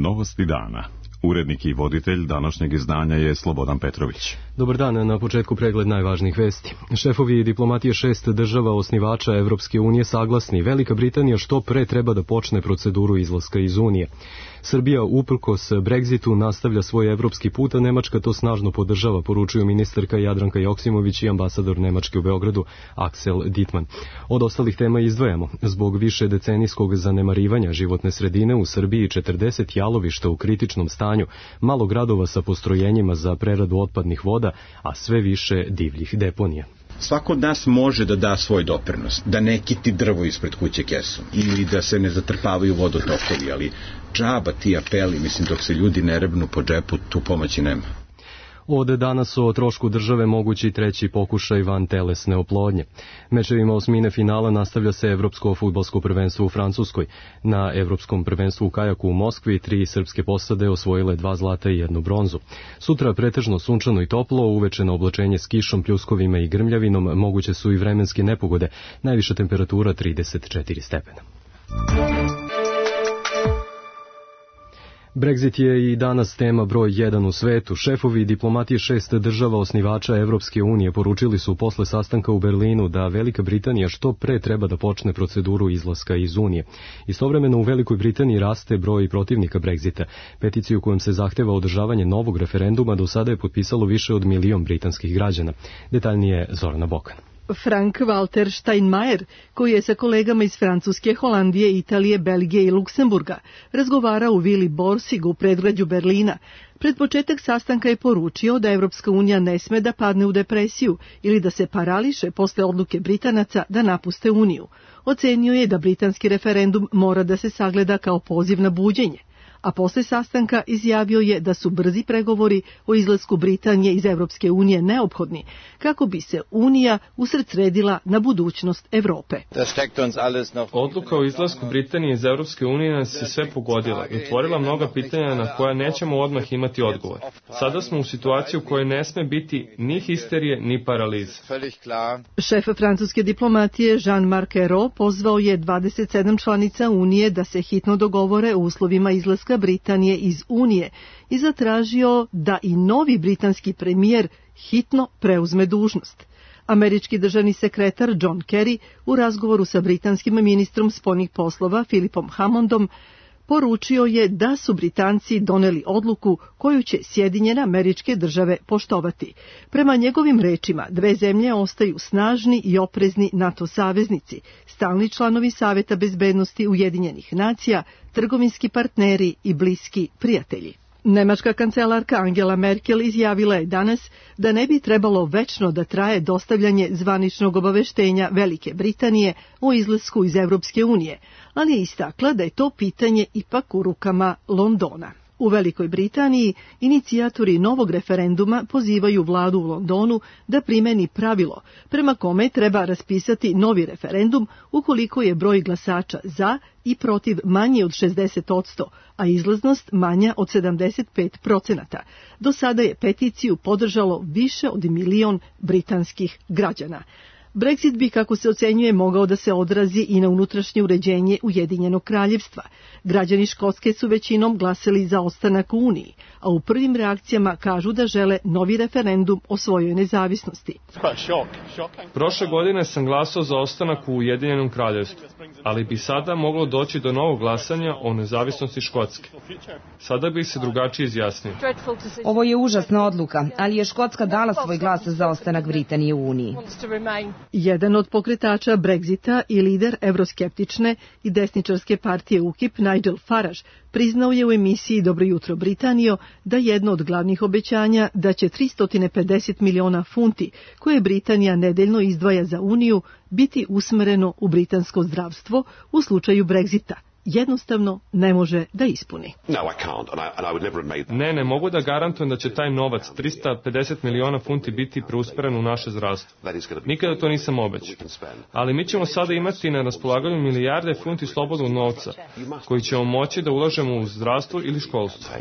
Novosti dana. Urednik i voditelj današnjeg izdanja je Slobodan Petrović. Dobar dan, na početku pregled najvažnijih vesti. Šefovi diplomatije 6 država osnivača Evropske unije saglasni, Velika Britanija što pre treba da počne proceduru izlaska iz Unije. Srbija uprkos Brexitu nastavlja svoj evropski put, a Nemačka to snažno podržava, poručuju ministarka Jadranka Joksimović i ambasador Nemačke u Beogradu Axel Dittmann. Od ostalih tema izdvajamo. Zbog više decenijskog zanemarivanja životne sredine u Srbiji 40 jalovišta u kritičnom stanju, malo gradova sa postrojenjima za preradu otpadnih voda, a sve više divljih deponija. Svako od nas može da da svoj doprinos, da ne kiti drvo ispred kuće kesom ili da se ne zatrpavaju vodotokovi, ali džaba ti apeli, mislim, dok se ljudi ne rebnu po džepu, tu pomoći nema. Od danas o trošku države mogući treći pokušaj van telesne oplodnje. Mečevima osmine finala nastavlja se Evropsko fudbalsko prvenstvo u Francuskoj. Na Evropskom prvenstvu u kajaku u Moskvi 3 srpske posade osvojile 2 zlata i 1 bronzu. Sutra pretežno sunčano i toplo, uveče na oblačenje s kišom, pljuskovima i grmljavinom, moguće su i vremenske nepogode, najviša temperatura 34 stepena. Brexit je i danas tema broj 1 u svetu. Šefovi diplomatije 6 država osnivača Evropske unije poručili su posle sastanka u Berlinu da Velika Britanija što pre treba da počne proceduru izlaska iz Unije. Istovremeno u Velikoj Britaniji raste broj protivnika Brexita. Peticiju kojom se zahteva održavanje novog referenduma do sada je potpisalo više od 1 milion britanskih građana. Detaljnije Zorana Bokan. Frank-Walter Steinmeier, koji je sa kolegama iz Francuske, Holandije, Italije, Belgije i Luksemburga razgovarao u vili Borsig u predgrađu Berlina, pred početak sastanka je poručio da Evropska unija ne sme da padne u depresiju ili da se parališe posle odluke Britanaca da napuste Uniju. Ocenio je da britanski referendum mora da se sagleda kao poziv na buđenje, a posle sastanka izjavio je da su brzi pregovori o izlasku Britanije iz Evropske unije neophodni kako bi se Unija usredsredila na budućnost Evrope. Odluka o izlasku Britanije iz Evropske unije nas je sve pogodila i otvorila mnoga pitanja na koja nećemo odmah imati odgovor. Sada smo u situaciji u kojoj ne sme biti ni histerije ni paralize. Šef francuske diplomatije Jean-Marc Ayrault pozvao je 27 članica Unije da se hitno dogovore o uslovima izlaska Britanije iz Unije i zatražio da i novi britanski premijer hitno preuzme dužnost. Američki državni sekretar John Kerry u razgovoru sa britanskim ministrom spoljnih poslova Philipom Hammondom poručio je da su Britanci doneli odluku koju će Sjedinjene Američke Države poštovati. Prema njegovim rečima, dve zemlje ostaju snažni i oprezni NATO saveznici, stalni članovi Saveta bezbednosti Ujedinjenih nacija, trgovinski partneri i bliski prijatelji. Nemačka kancelarka Angela Merkel izjavila je danas da ne bi trebalo večno da traje dostavljanje zvaničnog obaveštenja Velike Britanije o izlasku iz Evropske unije, ali je istakla da je to pitanje ipak u rukama Londona. U Velikoj Britaniji inicijatori novog referenduma pozivaju vladu u Londonu da primeni pravilo prema kome treba raspisati novi referendum ukoliko je broj glasača za i protiv manji od 60%, a izlaznost manja od 75%. Do sada je peticiju podržalo više od 1 milion britanskih građana. Brexit bi, kako se ocenjuje, mogao da se odrazi i na unutrašnje uređenje Ujedinjenog kraljevstva. Građani Škotske su većinom glasali za ostanak u Uniji, a u prvim reakcijama kažu da žele novi referendum o svojoj nezavisnosti. Prošle godine sam glasao za ostanak u Ujedinjenom kraljevstvu, ali bi sada moglo doći do novog glasanja o nezavisnosti Škotske. Sada bih se drugačije izjasnio. Ovo je užasna odluka, ali je Škotska dala svoj glas za ostanak Britanije u Uniji. Jedan od pokretača Brexita i lider evroskeptične i desničarske partije UKIP, Nigel Farage, priznao je u emisiji Dobro jutro Britanijo da jedno od glavnih obećanja da će 350 miliona funti koje Britanija nedeljno izdvaja za Uniju biti usmereno u britansko zdravstvo u slučaju Brexita. Jednostavno ne može da ispuni. Ne mogu da garantujem da će taj novac, 350 miliona funti, biti preusmeren u naše zdravstvo. Nikada to nisam obećao. Ali mi ćemo sada imati na raspolaganju milijarde funti slobodnog novca, koji ćemo moći da ulažemo u zdravstvo ili školstvo.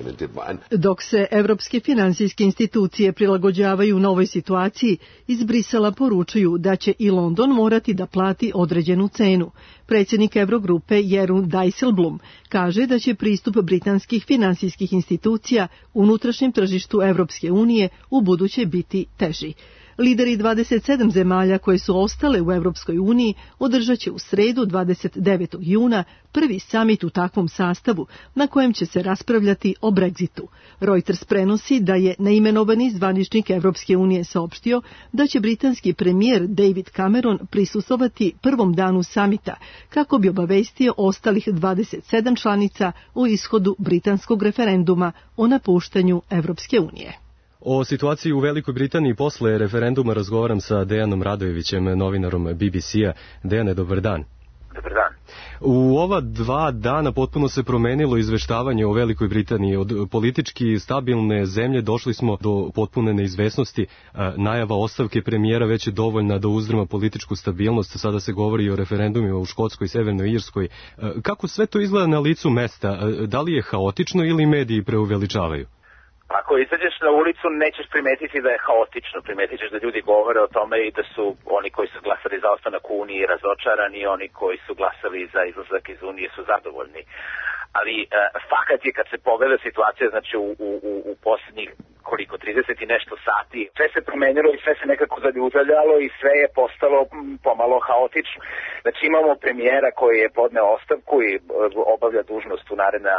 Dok se evropske finansijske institucije prilagođavaju novoj situaciji, iz Brisela poručuju da će i London morati da plati određenu cenu. Predsjednik Evrogrupe Jeroen Dijsselbloem Dijsselbloem kaže da će pristup britanskih finansijskih institucija unutrašnjem tržištu Evropske unije u buduće biti teži. Lideri 27 zemalja koje su ostale u Evropskoj uniji održat će u sredu 29. juna prvi samit u takvom sastavu na kojem će se raspravljati o Brexitu. Reuters prenosi da je neimenovani zvaničnik Evropske unije saopštio da će britanski premijer David Cameron prisustvovati prvom danu samita kako bi obavestio ostalih 27 članica o ishodu britanskog referenduma o napuštanju Evropske unije. O situaciji u Velikoj Britaniji posle referenduma razgovaram sa Dejanom Radojevićem, novinarom BBC-a. Dejane, dobar dan. Dobar dan. U ova 2 dana potpuno se promenilo izveštavanje o Velikoj Britaniji. Od politički stabilne zemlje došli smo do potpune neizvesnosti. Najava ostavke premijera već je dovoljna da uzdrma političku stabilnost. Sada se govori o referendumima u Škotskoj i Severnoj Irskoj. Kako sve to izgleda na licu mesta? Da li je haotično ili mediji preuveličavaju? Ako izađeš na ulicu, nećeš primetiti da je haotično, primetit ćeš da ljudi govore o tome i da su oni koji su glasali za ostanak u Uniji razočarani i oni koji su glasali za izlazak iz Unije su zadovoljni. Ali fakat je kad se pogleda situacija, znači u posljednjih 30 i nešto sati, sve se promenilo i sve se nekako zaljužaljalo i sve je postalo pomalo haotično. Znači imamo premijera koji je podneo ostavku i obavlja dužnost u naredna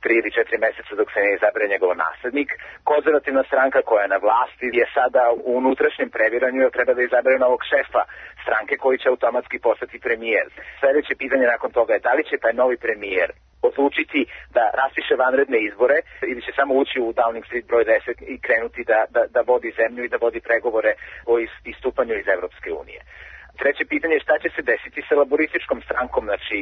3 ili 4 meseca dok se ne izabere njegov naslednik. Konzervativna stranka koja je na vlasti je sada u unutrašnjem previranju i treba da izabere novog šefa stranke koji će automatski postati premijer. Sljedeće pitanje nakon toga je da li će taj novi premijer odlučiti da raspiše vanredne izbore ili će samo ući u Downing Street broj 10 i krenuti da vodi zemlju i da vodi pregovore o istupanju iz Evropske unije. Treće pitanje je šta će se desiti sa laborističkom strankom, znači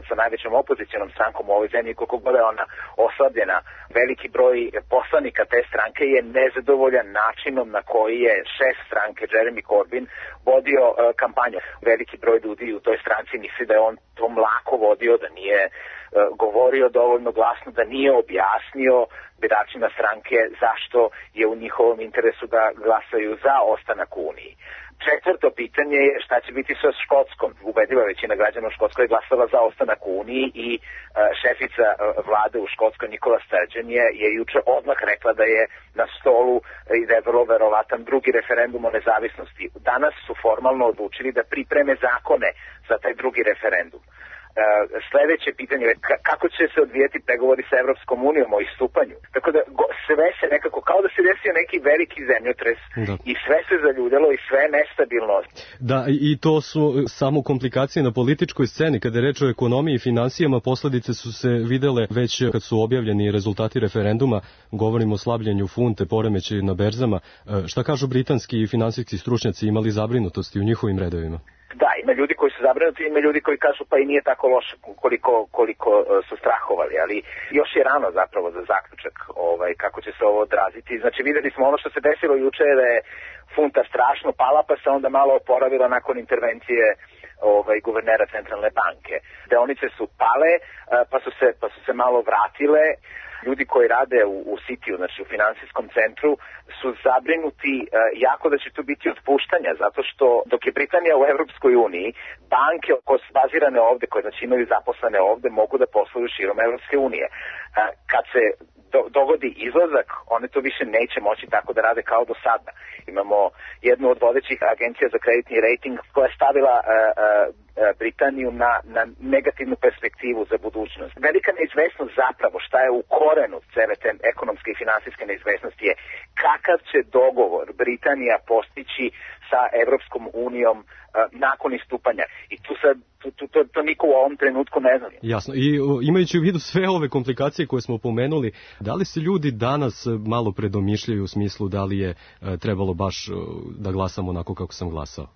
sa najvećom opozicionom strankom u ovoj zemlji, koliko god je ona oslabljena. Veliki broj poslanika te stranke je nezadovoljan načinom na koji je šef stranke Jeremy Corbyn vodio kampanju. Veliki broj ljudi u toj stranci misli da je on to mlako vodio, da nije govorio dovoljno glasno, da nije objasnio biračima stranke zašto je u njihovom interesu da glasaju za ostanak u Uniji. Četvrto pitanje je šta će biti sa Škotskom. Ubedljiva većina građana u Škotskoj je glasala za ostanak u Uniji i šefica vlade u Škotskoj Nicola Sturgeon je juče odmah rekla da je na stolu i da je vrlo verovatan drugi referendum o nezavisnosti. Danas su formalno odlučili da pripreme zakone za taj drugi referendum. Sljedeće pitanje je kako će se odvijeti pregovori sa Evropskom unijom o istupanju. Tako da sve se nekako, kao da se desio neki veliki zemljotres i sve se zaljuljalo i sve je nestabilno. Da, i to su samo komplikacije na političkoj sceni. Kada je reč o ekonomiji i finansijama, posledice su se videle već kad su objavljeni rezultati referenduma. Govorimo o slabljenju funte, poremećaju na berzama. Šta kažu britanski i finansijski stručnjaci, imali zabrinutosti u njihovim redovima? Da, ima ljudi koji su zabrinuti, ima ljudi koji kažu pa i nije tako loše koliko su strahovali, ali još je rano zapravo za zaključak kako će se ovo odraziti. Znači videli smo ono što se desilo juče da je funta strašno pala pa se onda malo oporavila nakon intervencije guvernera centralne banke. Deonice su pale pa su se malo vratile. Ljudi koji rade u Cityu, znači u finansijskom centru, su zabrinuti jako da će tu biti otpuštanja, zato što dok je Britanija u Evropskoj uniji, banke koje su bazirane ovde, koje znači imaju zaposlene ovde, mogu da posluju širom Evropske unije. Kad se dogodi izlazak, one to više neće moći tako da rade kao do sada. Imamo jednu od vodećih agencija za kreditni rating koja je stavila Britaniju na negativnu perspektivu za budućnost. Velika neizvesnost zapravo šta je u korenu cele te ekonomske i finansijske neizvesnosti je kakav će dogovor Britanija postići sa Evropskom unijom nakon istupanja. I to niko u ovom trenutku ne zna. Jasno. I imajući u vidu sve ove komplikacije koje smo pomenuli, da li se ljudi danas malo predomišljaju u smislu da li je trebalo baš da glasamo onako kako sam glasao?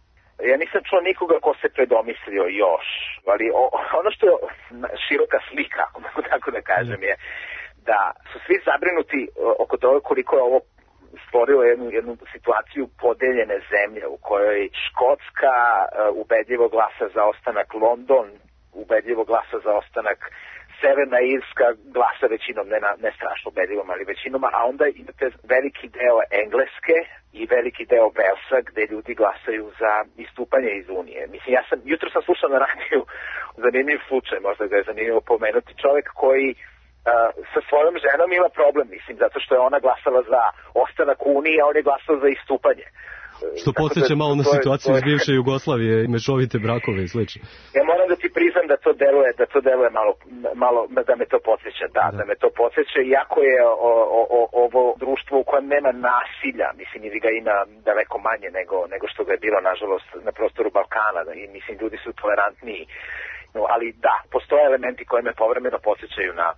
Ja nisam čuo nikoga ko se predomislio još, ali ono što je široka slika, ako mogu tako da kažem, je da su svi zabrinuti oko toga koliko je ovo stvorilo jednu situaciju podeljene zemlje u kojoj Škotska ubedljivo glasa za ostanak, London ubedljivo glasa za ostanak, Severna Irska glasa većinom, ne strašno ubedljivom, ali većinom, a onda imate veliki deo Engleske i veliki deo Velsa gde ljudi glasaju za istupanje iz Unije. Mislim, jutro sam slušao na radiju zanimljiv slučaj, možda ga je zanimljivo pomenuti, čovjek koji sa svojom ženom ima problem, mislim, zato što je ona glasala za ostanak u Uniji, a on je glasao za istupanje. Što podsjeća malo na situaciju iz bivše Jugoslavije, mešovite brakove i slično. Ja moram da ti priznam da to deluje malo da me to podsjeća, da me to podsjeća, iako je ovo društvo u kojem nema nasilja, mislim, ili ga ima daleko manje nego što ga je bilo, nažalost, na prostoru Balkana, i mislim, ljudi su tolerantniji, ali da, postoje elementi koji me povremeno podsjećaju na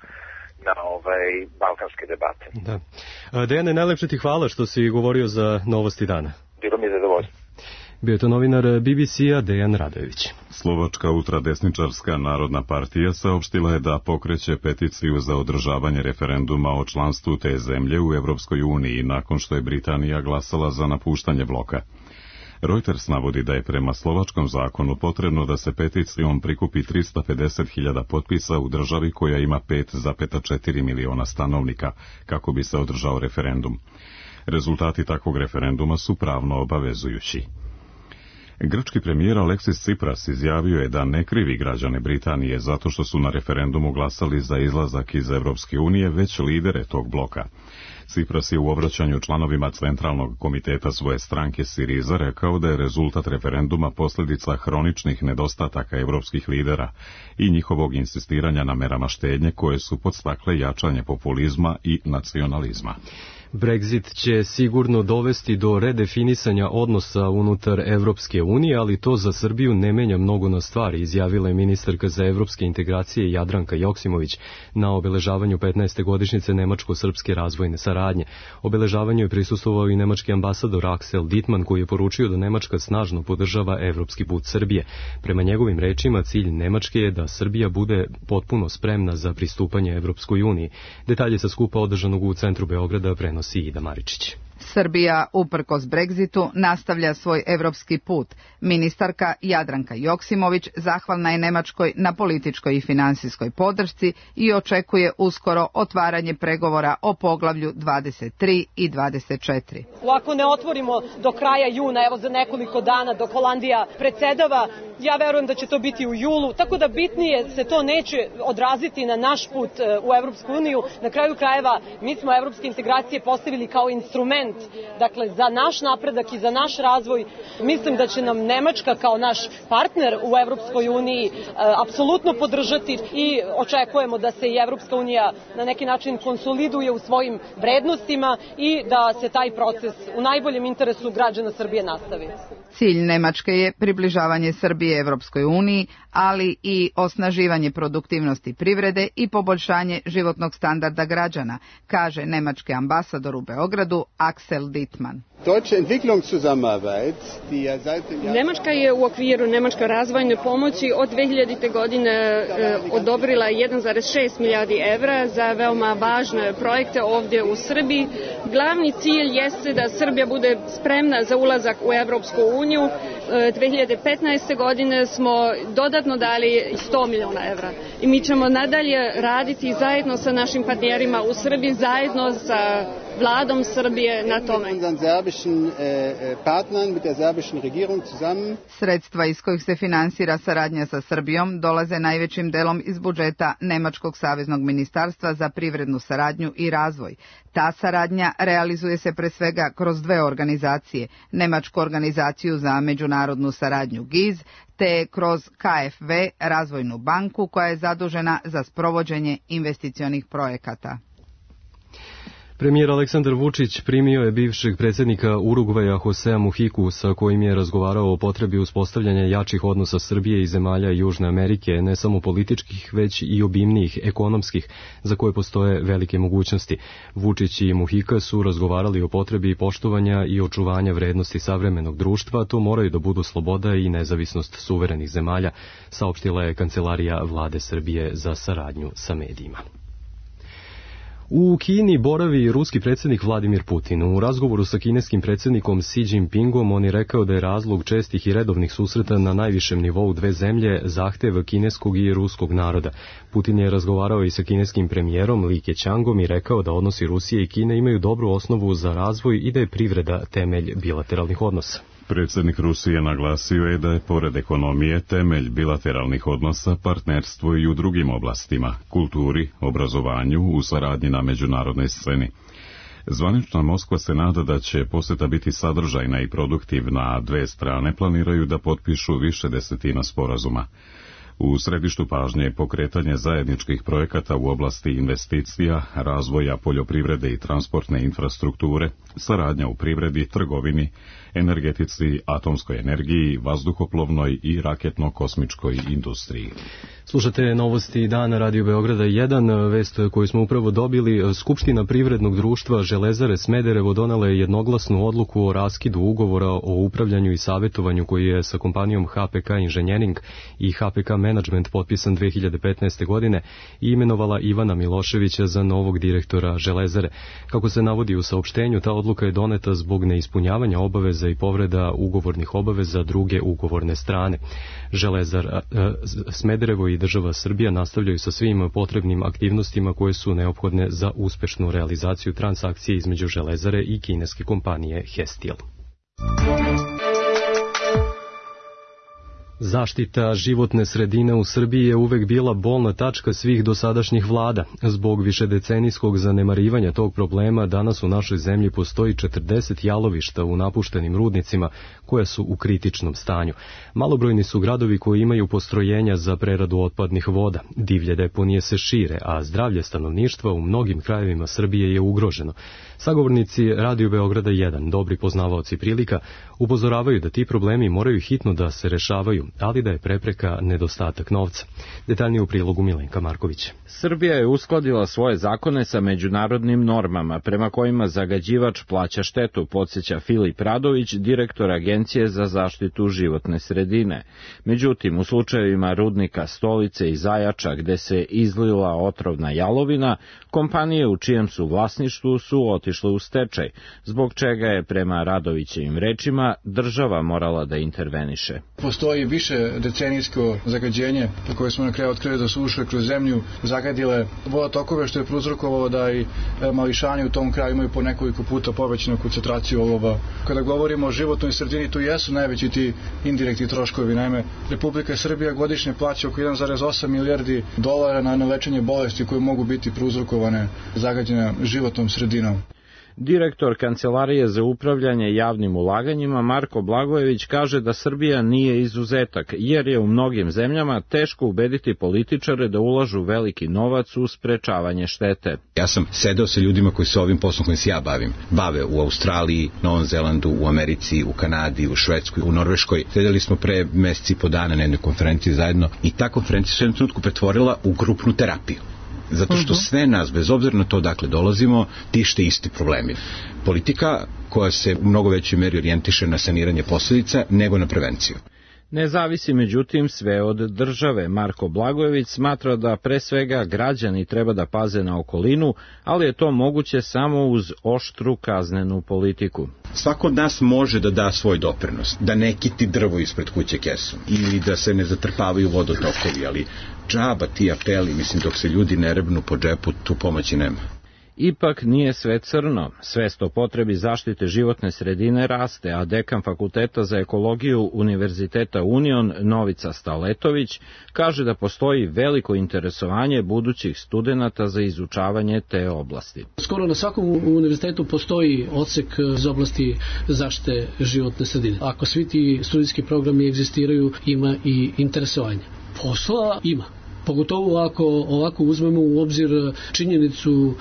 balkanske debate. Da. Dejane, najlepše ti hvala što si govorio za Novosti dana. Bilo mi je zadovoljstvo. Bio je to novinar BBC-a Dejan Radojević. Slovačka ultradesničarska narodna partija saopštila je da pokreće peticiju za održavanje referenduma o članstvu te zemlje u Evropskoj uniji nakon što je Britanija glasala za napuštanje bloka. Reuters navodi da je prema slovačkom zakonu potrebno da se peticijom prikupi 350.000 potpisa u državi koja ima 5,4 miliona stanovnika kako bi se održao referendum. Rezultati takvog referenduma su pravno obavezujući. Grčki premijer Aleksis Tsipras izjavio je da ne krivi građane Britanije zato što su na referendumu glasali za izlazak iz Evropske unije, već lidere tog bloka. Tsipras je u obraćanju članovima Centralnog komiteta svoje stranke Siriza rekao da je rezultat referenduma posljedica hroničnih nedostataka evropskih lidera i njihovog insistiranja na merama štednje koje su podstakle jačanje populizma i nacionalizma. Brexit će sigurno dovesti do redefinisanja odnosa unutar Evropske unije, ali to za Srbiju ne menja mnogo na stvari, izjavila je ministarka za evropske integracije Jadranka Joksimović na obeležavanju 15. godišnjice nemačko-srpske razvojne saradnje. Obeležavanju je prisustvovao i nemački ambasador Axel Dittmann, koji je poručio da Nemačka snažno podržava evropski put Srbije. Prema njegovim rečima, cilj Nemačke je da Srbija bude potpuno spremna za pristupanje Evropskoj uniji. Detalje sa skupa održanog u centru Beograda prenosi Ida Maričić. Srbija, uprkos Brexitu, nastavlja svoj evropski put. Ministarka Jadranka Joksimović zahvalna je Nemačkoj na političkoj i finansijskoj podršci i očekuje uskoro otvaranje pregovora o poglavlju 23 i 24. Ako ne otvorimo do kraja juna, evo za nekoliko dana dok Holandija predsedava, ja verujem da će to biti u julu, tako da bitnije se to neće odraziti na naš put u Evropsku uniju. Na kraju krajeva, mi smo evropske integracije postavili kao instrument, dakle, za naš napredak i za naš razvoj. Mislim da će nam Nemačka kao naš partner u Evropskoj uniji apsolutno podržati i očekujemo da se i Evropska unija na neki način konsoliduje u svojim vrednostima i da se taj proces u najboljem interesu građana Srbije nastavi. Cilj Nemačke je približavanje Srbije Evropskoj uniji, ali i osnaživanje produktivnosti privrede i poboljšanje životnog standarda građana, kaže nemački ambasador u Beogradu Axel Dittmann. Nemačka je u okviru nemačke razvojne pomoći od 2000. godine odobrila 1,6 milijardi evra za veoma važne projekte ovdje u Srbiji. Glavni cilj jeste da Srbija bude spremna za ulazak u Evropsku uniju. 2015. godine smo dodatno dali 100 miliona evra. I mi ćemo nadalje raditi zajedno sa našim partnerima u Srbiji, zajedno sa vladom Srbije na tome. Sredstva iz kojih se finansira saradnja sa Srbijom dolaze najvećim delom iz budžeta Nemačkog saveznog ministarstva za privrednu saradnju i razvoj. Ta saradnja realizuje se pre svega kroz dve organizacije, Nemačku organizaciju za međunarodnu saradnju GIZ, te kroz KfW, razvojnu banku koja je zadužena za sprovođenje investicionih projekata. Premijer Aleksandar Vučić primio je bivšeg predsjednika Urugvaja Josea Mujiku, sa kojim je razgovarao o potrebi uspostavljanja jačih odnosa Srbije i zemalja Južne Amerike, ne samo političkih, već i obimnijih ekonomskih, za koje postoje velike mogućnosti. Vučić i Muhika su razgovarali o potrebi poštovanja i očuvanja vrednosti savremenog društva, to moraju da budu sloboda i nezavisnost suverenih zemalja, saopštila je Kancelarija Vlade Srbije za saradnju sa medijima. U Kini boravi ruski predsjednik Vladimir Putin. U razgovoru sa kineskim predsjednikom Xi Jinpingom on je rekao da je razlog čestih i redovnih susreta na najvišem nivou dve zemlje zahtev kineskog i ruskog naroda. Putin je razgovarao i sa kineskim premijerom Li Keqiangom i rekao da odnosi Rusije i Kine imaju dobru osnovu za razvoj i da je privreda temelj bilateralnih odnosa. Predsjednik Rusije naglasio je da je pored ekonomije temelj bilateralnih odnosa partnerstvo i u drugim oblastima, kulturi, obrazovanju, u saradnji na međunarodnoj sceni. Zvanična Moskva se nada da će posjeta biti sadržajna i produktivna, a dve strane planiraju da potpišu više desetina sporazuma. U središtu pažnje je pokretanje zajedničkih projekata u oblasti investicija, razvoja poljoprivrede i transportne infrastrukture, saradnja u privredi, trgovini, energetici, atomskoj energiji, vazduhoplovnoj i raketno-kosmičkoj industriji. Slušate novosti dana Radio Beograda 1, vest koju smo upravo dobili. Skupština privrednog društva Železare Smederevo donela je jednoglasnu odluku o raskidu ugovora o upravljanju i savjetovanju koji je sa kompanijom HPK Inženjering i HPK Management potpisan 2015. godine i imenovala Ivana Miloševića za novog direktora Železare. Kako se navodi u saopštenju, ta odluka je doneta zbog neispunjavanja obaveza i povreda ugovornih obaveza druge ugovorne strane. Železar Smederevo i država Srbija nastavljaju sa svim potrebnim aktivnostima koje su neophodne za uspešnu realizaciju transakcije između Železare i kineske kompanije Hestil. Zaštita životne sredine u Srbiji je uvek bila bolna tačka svih dosadašnjih vlada. Zbog višedecenijskog zanemarivanja tog problema danas u našoj zemlji postoji 40 jalovišta u napuštenim rudnicima koja su u kritičnom stanju. Malobrojni su gradovi koji imaju postrojenja za preradu otpadnih voda. Divlje deponije se šire, a zdravlje stanovništva u mnogim krajevima Srbije je ugroženo. Sagovornici Radio Beograda 1, dobri poznavaoci prilika, upozoravaju da ti problemi moraju hitno da se rešavaju, ali da je prepreka nedostatak novca. Detaljnije u prilogu Milenka Marković. Srbija je uskladila svoje zakone sa međunarodnim normama, prema kojima zagađivač plaća štetu, podsjeća Filip Radović, direktor Agencije za zaštitu životne sredine. Međutim, u slučajevima rudnika Stolice i Zajača, gde se izlila otrovna jalovina, kompanije u čijem su vlasništvu su otišle u stečaj, zbog čega je, prema Radovićevim rečima, država morala da interveniše. Postoji više decenijsko zagađenje koje smo na kraju otkrili da su ušle kroz zemlju, zagadile vodotokove, što je prouzrokovalo da i mališani u tom kraju imaju po nekoliko puta povećanu koncentraciju olova. Kada govorimo o životnoj sredini, tu jesu najveći ti indirektni troškovi. Naime, Republika Srbija godišnje plaća oko 1,8 milijardi dolara na lečenje bolesti koje mogu biti prouzrokovane zagađene životnom sredinom. Direktor Kancelarije za upravljanje javnim ulaganjima Marko Blagojević kaže da Srbija nije izuzetak, jer je u mnogim zemljama teško ubediti političare da ulažu veliki novac u sprečavanje štete. Ja sam sedeo sa ljudima koji se ovim poslom kojim se ja bave u Australiji, Novom Zelandu, u Americi, u Kanadi, u Švedskoj, u Norveškoj. Sedeli smo pre meseci i po dana na jednoj konferenciji zajedno i ta konferencija se u jednom trenutku pretvorila u grupnu terapiju. Zato što sve nas, bez obzira na to dakle dolazimo, tište isti problemi. Politika koja se u mnogo većoj meri orijentiše na saniranje posljedica nego na prevenciju. Ne zavisi međutim sve od države. Marko Blagojević smatra da pre svega građani treba da paze na okolinu, ali je to moguće samo uz oštru kaznenu politiku. Svako od nas može da da svoj doprinos, da ne kiti drvo ispred kuće kesom ili da se ne zatrpavaju vodotokovi, ali džaba ti apeli, mislim, dok se ljudi ne rebnu po džepu, tu pomoći nema. Ipak nije sve crno. Svest o potrebi zaštite životne sredine raste, a dekan Fakulteta za ekologiju Univerziteta Union Novica Staletović kaže da postoji veliko interesovanje budućih studenata za izučavanje te oblasti. Skoro na svakom univerzitetu postoji odsek iz oblasti zaštite životne sredine. Ako svi ti studijski programi egzistiraju, ima i interesovanje. Posla ima. Pogotovo ako ovako uzmemo u obzir činjenicu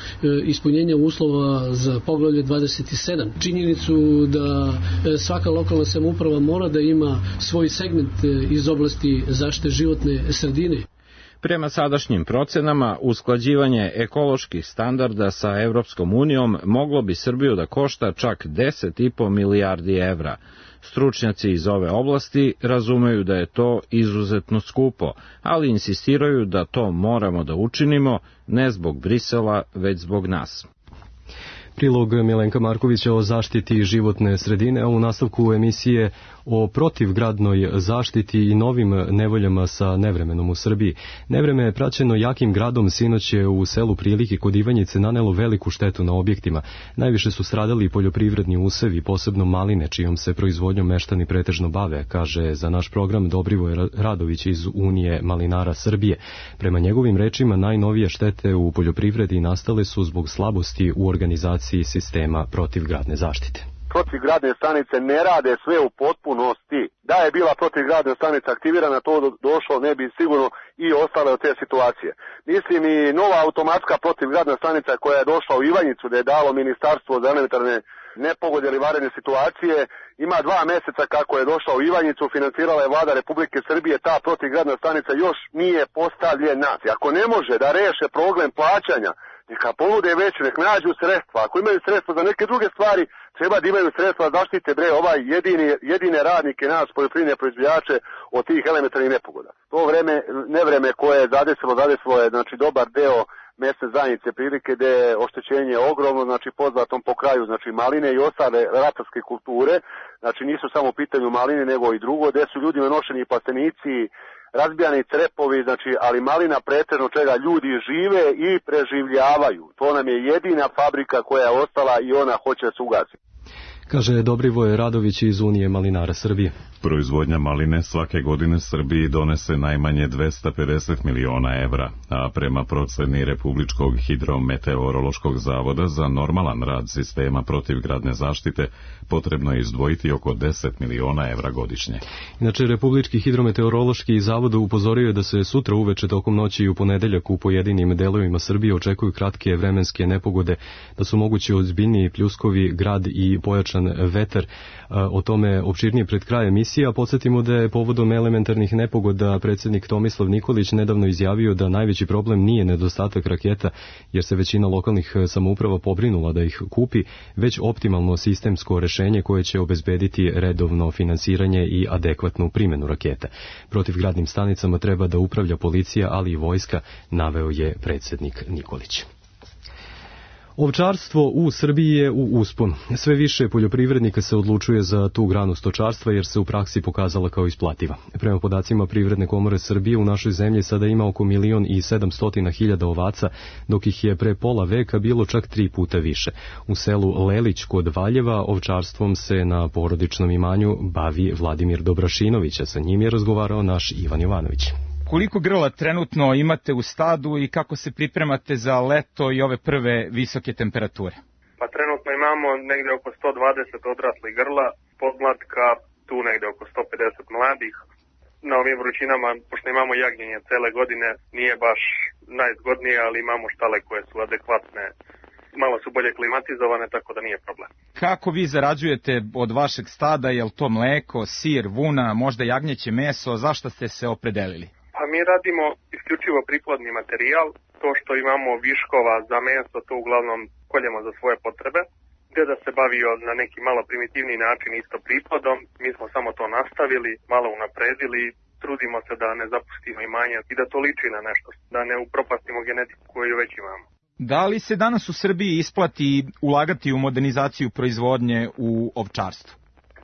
ispunjenja uslova za poglavlje 27, činjenicu da svaka lokalna samouprava mora da ima svoj segment iz oblasti zaštite životne sredine. Prema sadašnjim procenama, usklađivanje ekoloških standarda sa Evropskom unijom moglo bi Srbiju da košta čak 10,5 milijardi evra. Stručnjaci iz ove oblasti razumeju da je to izuzetno skupo, ali insistiraju da to moramo da učinimo ne zbog Brisela, već zbog nas. Prilog Milenka Markovića o zaštiti životne sredine, a u nastavku emisije o protivgradnoj zaštiti i novim nevoljama sa nevremenom u Srbiji. Nevreme je praćeno jakim gradom, sinoć je u selu Prilike kod Ivanjice nanelo veliku štetu na objektima. Najviše su stradali poljoprivredni usevi, posebno maline, čijom se proizvodnjom meštani pretežno bave, kaže za naš program Dobrivoje Radović iz Unije malinara Srbije. Prema njegovim rečima, najnovije štete u poljoprivredi nastale su zbog slabosti u organizaciji sistema protivgradne zaštite. Protivgradne stanice ne rade sve u potpunosti. Da je bila protivgradna stanica aktivirana, to došlo ne bi sigurno i ostale od te situacije. Mislim i nova automatska protivgradna stanica koja je došla u Ivanjicu, da je dalo Ministarstvo za elementarne nepogode ili vanredne situacije, ima 2 meseca kako je došla u Ivanjicu, financirala je Vlada Republike Srbije, ta protivgradna stanica još nije postavljena. Ako ne može da reše problem plaćanja, neka ponude već, nek nađu sredstva. Ako imaju sredstva za neke druge stvari, treba da imaju sredstva da zaštite jedine radnike, nas, poljoprivredne proizvođače od tih elementarnih nepogoda. To nevreme koje je zadesilo je znači dobar deo mesne zajednice Prilike, gde je oštećenje ogromno, znači poznatom po kraju, znači maline i ostale ratarske kulture, znači nisu samo u pitanju maline nego i drugo, gde su ljudima nošeni plastenici, razbijani crepovi, znači, ali malina pretežno čega ljudi žive i preživljavaju. To nam je jedina fabrika koja je ostala i ona hoće da se ugasi. Kaže Dobrivoje Radović iz Unije malinara Srbije. Proizvodnja maline svake godine Srbiji donese najmanje 250 miliona evra, a prema proceni Republičkog hidrometeorološkog zavoda za normalan rad sistema protivgradne zaštite potrebno je izdvojiti oko 10 miliona evra godišnje. Inače, Republički hidrometeorološki zavod upozorio je da se sutra uveče tokom noći i u ponedeljak u pojedinim delovima Srbije očekuju kratke vremenske nepogode, da su mogući ozbiljniji pljuskovi, grad i pojačan vetar. O tome opširnije pred kraj emisije, a podsjetimo da je povodom elementarnih nepogoda predsjednik Tomislav Nikolić nedavno izjavio da najveći problem nije nedostatak raketa, jer se većina lokalnih samouprava pobrinula da ih kupi, već optimalno sistemsko rešenje koje će obezbediti redovno finansiranje i adekvatnu primjenu raketa. Protivgradnim stanicama treba da upravlja policija, ali i vojska, naveo je predsjednik Nikolić. Ovčarstvo u Srbiji je u usponu. Sve više poljoprivrednika se odlučuje za tu granu stočarstva jer se u praksi pokazala kao isplativa. Prema podacima Privredne komore Srbije u našoj zemlji sada ima oko 1.700.000 ovaca, dok ih je pre pola veka bilo čak 3 puta više. U selu Lelić kod Valjeva ovčarstvom se na porodičnom imanju bavi Vladimir Dobrašinović, a sa njim je razgovarao naš Ivan Jovanović. Koliko grla trenutno imate u stadu i kako se pripremate za leto i ove prve visoke temperature? Pa trenutno imamo negde oko 120 odraslih grla, podmlatka, tu negde oko 150 mladih. Na ovim vrućinama, pošto imamo jagnjenje cele godine, nije baš najzgodnije, ali imamo štale koje su adekvatne. Malo su bolje klimatizovane, tako da nije problem. Kako vi zarađujete od vašeg stada? Je li to mleko, sir, vuna, možda jagnjeće meso? Zašto ste se opredelili? Pa mi radimo isključivo priplodni materijal. To što imamo viškova za meso, to uglavnom koljemo za svoje potrebe. Gde da se bavio na neki malo primitivni način isto priplodom, mi smo samo to nastavili, malo unapredili, trudimo se da ne zapustimo imanje i da to liči na nešto, da ne upropastimo genetiku koju već imamo. Da li se danas u Srbiji isplati ulagati u modernizaciju proizvodnje u ovčarstvu?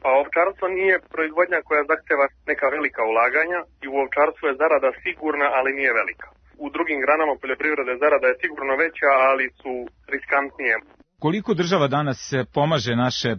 Pa ovčarstvo nije proizvodnja koja zahteva neka velika ulaganja i u ovčarstvu je zarada sigurna, ali nije velika. U drugim granama poljoprivrede zarada je sigurno veća, ali su riskantnije. Koliko država danas pomaže naše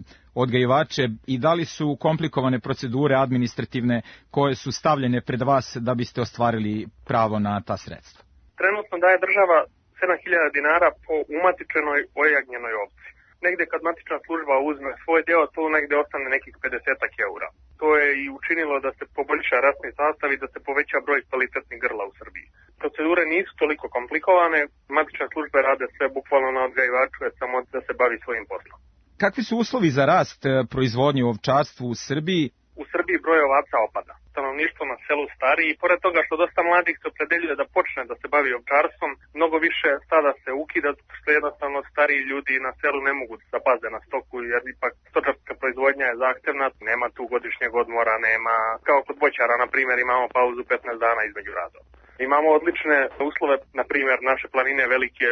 odgajivače i da li su komplikovane procedure administrativne koje su stavljene pred vas da biste ostvarili pravo na ta sredstva? Trenutno daje država 7.000 dinara po umatičenoj ojagnjenoj ovci. Negde kad matična služba uzme svoj deo, to negde ostane nekih 50 eura. To je i učinilo da se poboljša rasni sastav i da se poveća broj kvalitetnih grla u Srbiji. Procedure nisu toliko komplikovane, matične službe rade sve bukvalno na odgajivaču, je samo da se bavi svojim poslom. Kakvi su uslovi za rast proizvodnje u ovčarstvu u Srbiji? U Srbiji broj ovaca opada. Stanovništvo na selu stari i pored toga što dosta mladih se opredeljuje da počne da se bavi ovčarstvom, mnogo više stada se ukida, što jednostavno stariji ljudi na selu ne mogu da paze na stoku, jer ipak stočarska proizvodnja je zahtevna, nema tu godišnjeg odmora, nema, kao kod voćara, na primjer, imamo pauzu 15 dana između radova. Imamo odlične uslove, na primjer naše planine,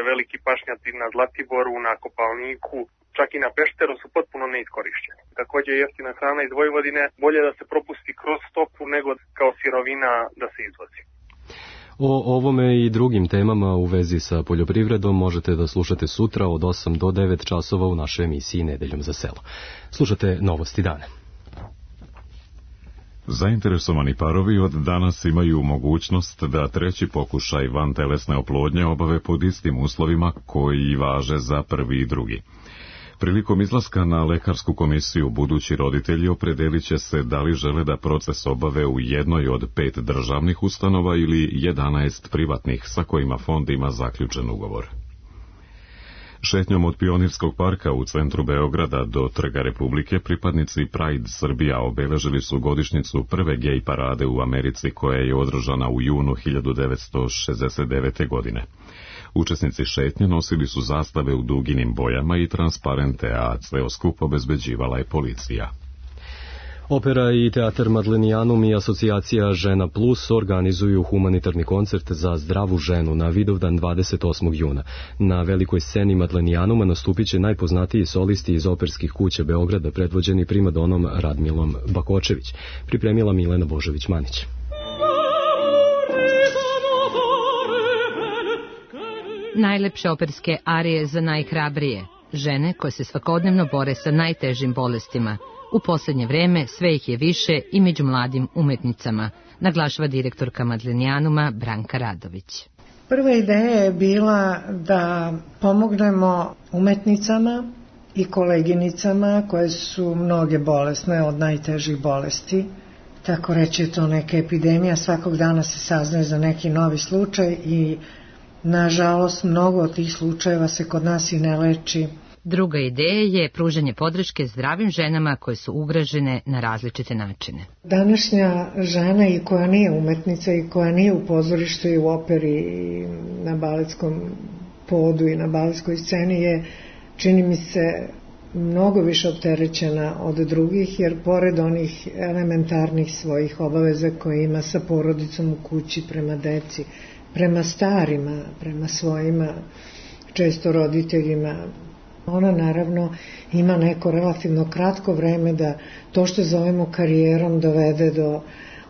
veliki pašnjaci na Zlatiboru, na Kopalniku, čak i na Pešteru su potpuno neiskorišćeni. Također jeftina hrana iz Vojvodine, bolje da se propusti kroz stoku nego kao sirovina da se izvozi. O ovome i drugim temama u vezi sa poljoprivredom možete da slušate sutra od 8 do 9 časova u našoj emisiji Nedeljom za selo. Slušate Novosti dana. Zainteresovani parovi od danas imaju mogućnost da treći pokušaj vantelesne oplodnje obave pod istim uslovima koji važe za prvi i drugi. Prilikom izlaska na lekarsku komisiju budući roditelji opredelit će se da li žele da proces obave u jednoj od 5 državnih ustanova ili 11 privatnih sa kojima fond ima zaključen ugovor. Šetnjom od Pionirskog parka u centru Beograda do Trga Republike pripadnici Pride Srbija obeležili su godišnjicu prve gej parade u Americi koja je održana u junu 1969. godine. Učesnici šetnje nosili su zastave u duginim bojama i transparente, a ceo skup obezbeđivala je policija. Opera i teatar Madlenijanum i asocijacija Žena Plus organizuju humanitarni koncert za zdravu ženu na Vidovdan 28. juna. Na velikoj sceni Madlenijanuma nastupit će najpoznatiji solisti iz operskih kuća Beograda predvođeni primadonom Radmilom Bakočević. Pripremila Milena Božović-Manić. Najlepše operske arije za najhrabrije, žene koje se svakodnevno bore sa najtežim bolestima. U posljednje vreme sve ih je više i među mladim umetnicama, naglašava direktorka Madlenijanuma Branka Radović. Prva ideja je bila da pomognemo umetnicama i koleginicama koje su mnoge bolesne od najtežih bolesti. Tako reći je to neka epidemija, svakog dana se saznaje za neki novi slučaj i nažalost mnogo od tih slučajeva se kod nas i ne leči. Druga ideja je pružanje podrške zdravim ženama koje su ugrožene na različite načine. Današnja žena i koja nije umetnica i koja nije u pozorištu i u operi i na baletskom podu i na baletskoj sceni je, čini mi se, mnogo više opterećena od drugih, jer pored onih elementarnih svojih obaveza koje ima sa porodicom u kući, prema deci, prema starima, prema svojima često roditeljima, ona naravno ima neko relativno kratko vreme da to što zovemo karijerom dovede do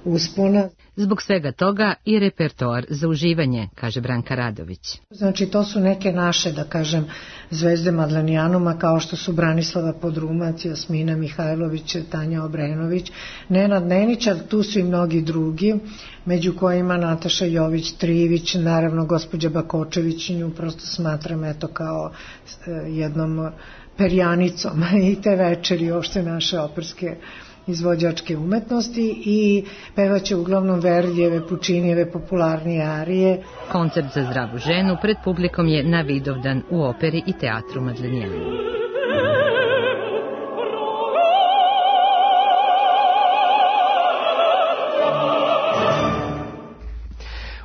uspona. Zbog svega toga i repertoar za uživanje, kaže Branka Radović. Znači to su neke naše, da kažem, zvezde Madlenijanuma kao što su Branislava Podrumac, Jasmina Mihajlović, Tanja Obrenović, Nenad Nenić, ali tu su i mnogi drugi, među kojima Nataša Jović-Trivić, naravno gospođa Bakočević, nju prosto smatram eto kao jednom perjanicom i te večeri uopšte naše operske izvođačke umetnosti i pevaće uglavnom Verdijeve, Pučinijeve popularnije arije. Koncert za zdravu ženu pred publikom je na Vidovdan u operi i teatru Madlenijanum.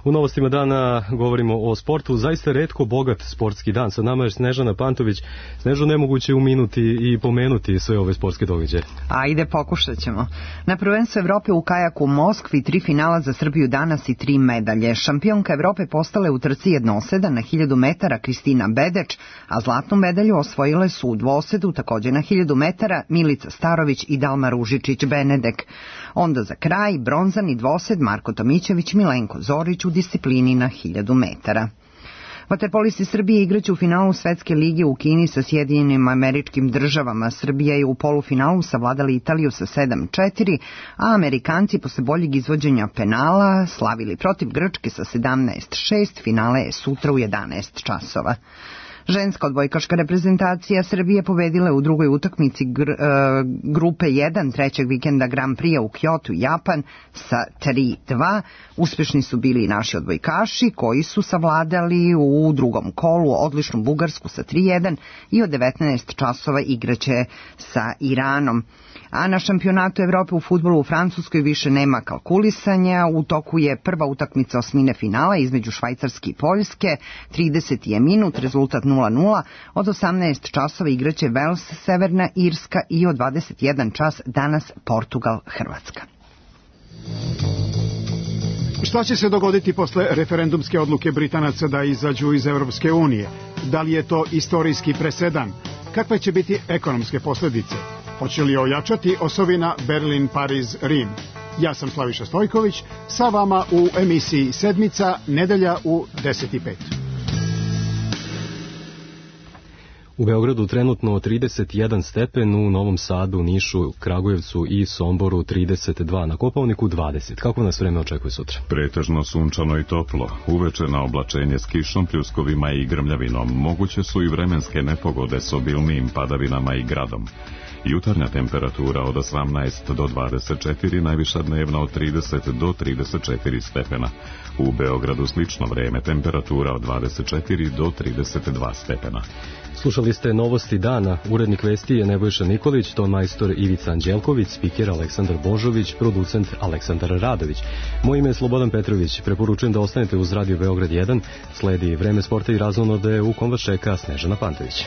U novostima dana govorimo o sportu, zaista retko bogat sportski dan. Sa nama je Snežana Pantović. Snežo, nemoguće uminuti i pomenuti sve ove sportske događaje. Ajde, pokušat ćemo. Na prvenstvu Evrope u kajaku u Moskvi 3 finala za Srbiju danas i 3 medalje. Šampionka Evrope postala je u trci jednoseda na 1000 metara Kristina Bedeč, a zlatnu medalju osvojile su u dvosedu također na 1000 metara Milica Starović i Dalma Ružičić-Benedek. Onda za kraj bronzani dvosed Marko Tomićević, Milenko Zorić u disciplini na 1000 metara. Vaterpolisti Srbije igraće u finalu Svetske lige u Kini sa Sjedinjenim Američkim Državama. Srbija je u polufinalu savladali Italiju sa 7-4, a Amerikanci posle boljeg izvođenja penala slavili protiv Grčke sa 17-6. Finale je sutra u 11 časova. Ženska odbojkaška reprezentacija Srbije pobedila je u drugoj utakmici grupe 1 trećeg vikenda Grand Prix u Kyotu, Japan sa 3-2. Uspešni su bili i naši odbojkaši koji su savladali u drugom kolu odličnu Bugarsku sa 3-1 i od 19 časova igraće sa Iranom. A na šampionatu Evrope u fudbalu u Francuskoj više nema kalkulisanja. U toku je prva utakmica osmine finala između Švajcarske i Poljske. 30 je minut, rezultat 0-0. Od 18 časova igraće Vels, Severna Irska i od 21 čas danas Portugal, Hrvatska. Šta će se dogoditi posle referendumske odluke Britanaca da izađu iz Evropske unije? Da li je to istorijski presedan? Kakve će biti ekonomske posljedice? Hoće li ojačati osovina Berlin-Pariz-Rim? Ja sam Slaviša Stojković, sa vama u emisiji Sedmica, nedelja u 10:05. U Beogradu trenutno 31 stepen, u Novom Sadu, Nišu, Kragujevcu i Somboru 32, na Kopaoniku 20. Kako nas vreme očekuje sutra? Pretežno sunčano i toplo, uveče na oblačenje s kišom, pljuskovima i grmljavinom. Moguće su i vremenske nepogode s obilnijim padavinama i gradom. Jutarnja temperatura od 18 do 24, najviša dnevna od 30 do 34 stepena. U Beogradu slično vreme, temperatura od 24 do 32 stepena. Slušali ste novosti dana. Urednik vesti je Nebojša Nikolić, ton majstor Ivica Anđelković, spiker Aleksandar Božović, producent Aleksandar Radović. Moje ime je Slobodan Petrović. Preporučujem da ostanete uz Radio Beograd 1. Sledi vreme sporta i razonode u kom vas čeka Snežana Pantović.